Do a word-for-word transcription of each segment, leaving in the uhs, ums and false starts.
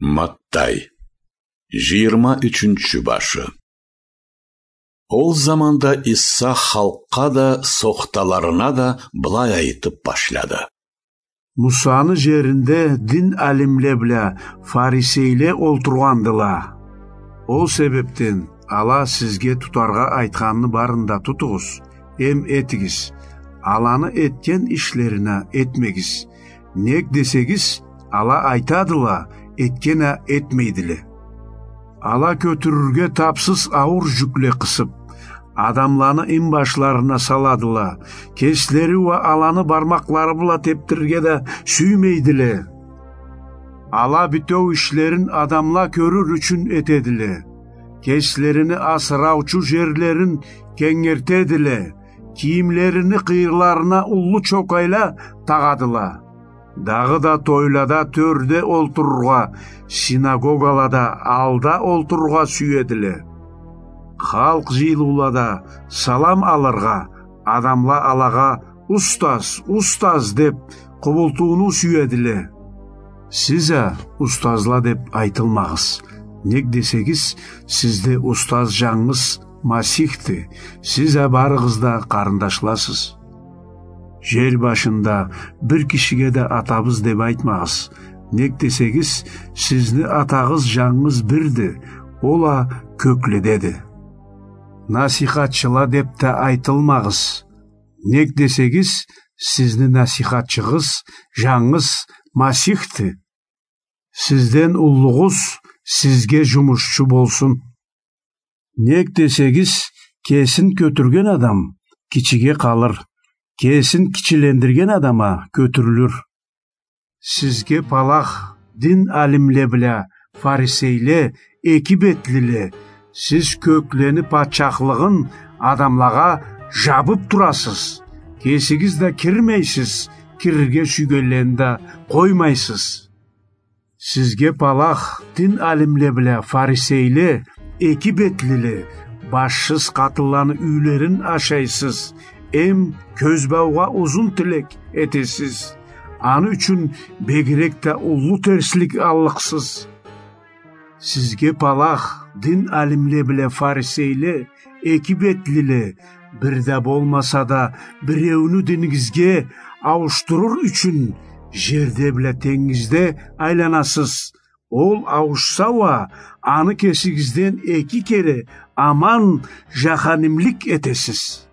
Маттай, жыйырма ючюнчю башы. Ол заманда Иса халкъгъа да, сохталарына да былай айтып башлады: Мусаны жеринде дин алимле бла фарисейле олтургъандыла. Ол себепден ала сизге тутаргъа айтханны барын да тутугъуз, эм этигиз. Аланы этген ишлерине этмегиз. Нек десегиз, ала айтадыла, этген а этмейдиле. Ала кётюрюрге табсыз ауур жюкле къысып, адамланы инбашларына саладыла, кеслери уа аланы бармакълары бла тепдирирге да сюймейдиле. Ала битеу ишлерин адамла кёрюр ючюн этедиле. Кеслерини асыраучу жерлерин кенгертедиле, кийимлерини къыйырларына уллу чокъайла тагъадыла. Дагъыда тойлада тёрде олтурургъа, синагогалада алда олтурургъа сюедиле. Халкъ жыйылыулада салам алыргъа, адамла алагъа «Устаз, устаз» деп къубултууну сюедиле. Сиз а «Устазла» деп айтылмагъыз. Нек десегиз, сизде устаз жангыз Масихди, сиз а барыгъыз да къарындашласыз. Жер башында бир кишиге да «Атабыз» деп айтмагъыз. Нек десегиз, сизни Атагъыз жангыз бирди, ол а кёкледеди. «Насихатчыла» деп да айтылмагъыз. Нек десегиз, сизни насихатчыгъыз жангыз Масихди. Сизден уллугъуз сизге жумушчу болсун. Нек десегиз, кесин кётюрген адам кичиге къалыр, кесин кичилендирген адам а кётюрюлюр. Сизге палах, дин алимле бла фарисейле, эки бетлиле! Сиз кёклени патчахлыгъын адамлагъа жабып турасыз, кесигиз да кирмейсиз, кирирге сюйгенлени да къоймайсыз. Сизге палах, дин алимле бла фарисейле, эки бетлиле! Башсыз къатынланы юйлерин ашайсыз, эм кёзбаугъа узун тилек этесиз. Аны ючюн бегирек да уллу терслик аллыкъсыз. Сизге палах, дин алимле бла фарисейле, эки бетлиле! Бир да болмаса да, биреуню динигизге ауушдурур ючюн жерде бла тенгизде айланасыз. Ол ауушса уа, аны кесигизден эки кере аман жаханимлик этесиз.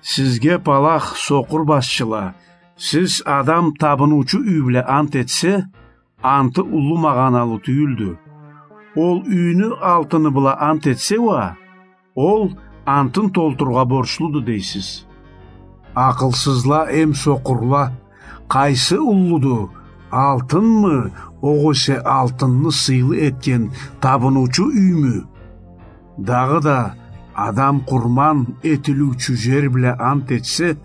Сизге палах, сокъур башчыла! Сиз адам табыныучу юй бла ант этсе, анты уллу магъаналы тюйюлдю. Ол юйню алтыны бла ант этсе уа, ол антын толтурургъа борчлуду дейсиз. Акъылсызла эм сокъурла! Къайсы уллуду, алтынмы, огъесе алтынны сыйлы этген табыныучу юймю? Дагъыда адам къурман этилиучю жер бла ант этсе,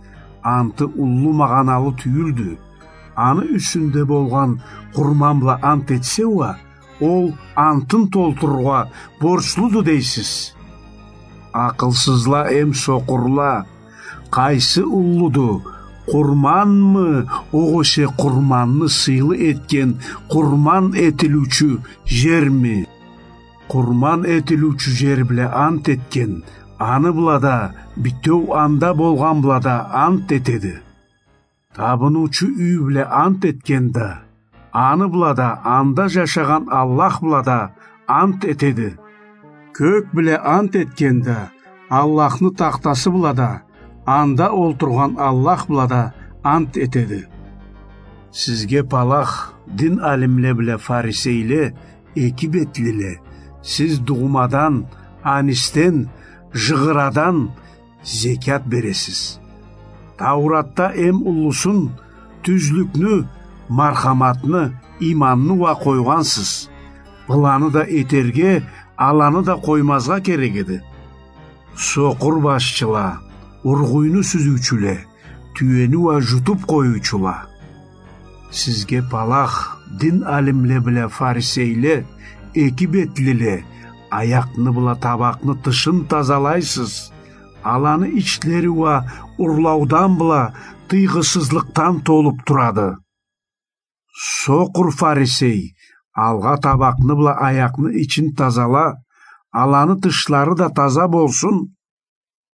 анты уллу магъаналы тюйюлдю. Аны юсюнде болгъан къурман бла ант этсе уа, ол антын толтурургъа борчлуду дейсиз. Акъылсызла эм сокъурла! Къайсы уллуду, къурманмы, огъесе къурманны сыйлы этген къурман этилиучю жерми? Къурман этилиучю жер бла ант этген, аны бла да, битеу анда болгъан бла да ант этеди. Табыныучу юй бла ант этген да, аны бла да, анда жашагъан Аллах бла да ант этеди. Кёк бла ант этген да, Аллахны тахтасы бла да, анда олтургъан Аллах бла да ант этеди. Сизге палах, дин алимле бла фарисейле, эки бетлиле! Сиз дугъумадан, анисден, жыгъырадан зекят бересиз. Тауратда эм уллусун, тюзлюкню, мархаматны, иманны уа къойгъансыз. Быланы да этерге, аланы да къоймазгъа керек эди. Сокъур башчыла, ургъуйну сюзюучюле, тюени уа жутуп къоюучула! Сизге палах, дин алимле бла фарисейле, эки бетлиле! Аякъны бла табакъны тышын тазалайсыз, аланы ичлери уа урлаудан бла тыйгъысызлыкъдан толуп турады. Сокъур фарисей, Алгъа табакъны бла аякъны ичин тазала, аланы тышлары да таза болсун.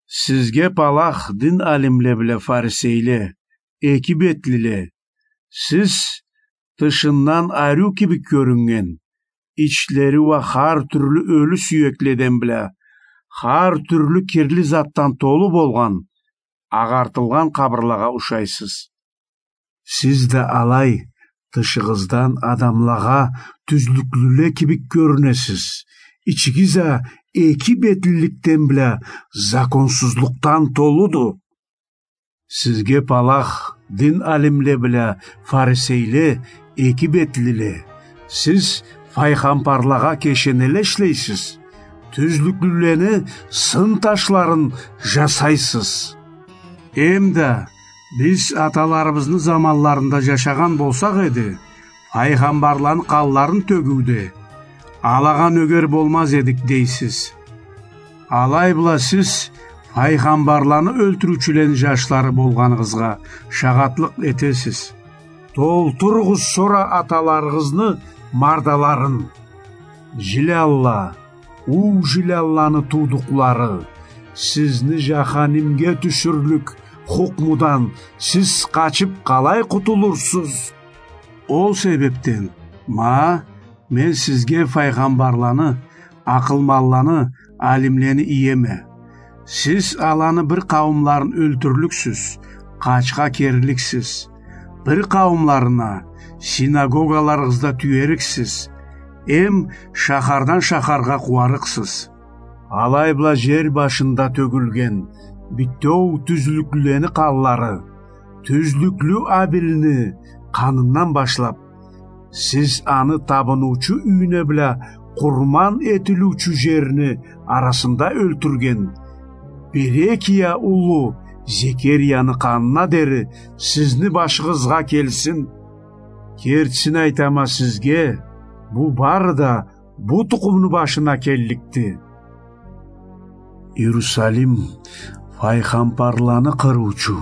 Сизге палах, дин алимле бла фарисейле, эки бетлиле! Сиз тышындан ариу кибик кёрюннген, ичлери уа хар тюрлю ёлю сюекледен бла, хар тюрлю кирли затдан толу болгъан, агъартылгъан къабырлагъа ушайсыз. Сиз да алай, тышыгъыздан адамлагъа тюзлюклюле кибик кёрюнесиз, ичигиз а эки бетлиликден бла законсузлукъдан толуду. Сизге палах, дин алимле бла фарисейле, эки бетлиле! Сиз файгъамбарлагъа кешенеле ишлейсиз, тюзлюклюлени сын ташларын жасайсыз. Эм да, биз аталарыбызны заманларында жашагъан болсакъ эди, файгъамбарланы къанларын тёгюуде алагъа нёгер болмаз эдик, дейсиз. Алай бла сиз файгъамбарланы ёлтюрюучюлени жашлары болгъаныгъызгъа шагъатлыкъ этесиз. Толтуругъуз сора аталарыгъызны мардаларын. Жилялла, уу жилялланы туудукълары, сизни жаханимге тюшюрлюк хукмудан сиз къачып къалай къутулурсуз? Ол себепден, ма, мен сизге файгъамбарланы, акъылманланы, алимлени иеме. Сиз аланы бир къауумларын ёлтюрлюксюз, къачха керликсиз. Бир къауумларына синагогаларыгъызда тюериксиз, эм шахардан шахаргъа къууарыкъсыз. Алай бла жер башында тёгюлген битеу тюзлюклюлени къанлары, тюзлюклю Абилни къанындан башлап, сиз аны табыныучу юйюне бла къурман этилиучю жерни арасында ёлтюрген Берекия улу Зекерияны къанына дери сизни башыгъызгъа келсин. Кертисин айтама сизге, бу бары да бу тукъумну башына келликди. Иерусалим, файгъамбарланы къырыучу,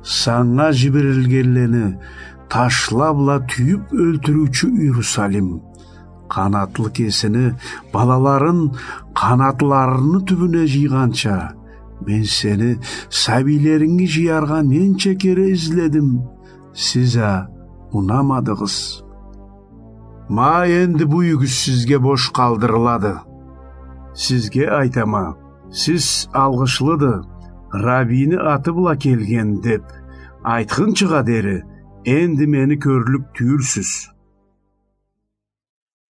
санга жиберилгенлени ташла бла тюйюп ёлтюрюучю Иерусалим! Къанатлы кесини балаларын къанатларыны тюбюне жыйгъанча, мен сени сабийлеринги жыяргъа ненча кере изледим, сиз а унамадыгъыз. Ма энди бу юйюгюз сизге бош къалдырылады. Сизге айтама, сиз алгъышлыды, Раббини аты бла келген деп айтхынчыгъа дери энди мени кёрлюк тюйюлсюз.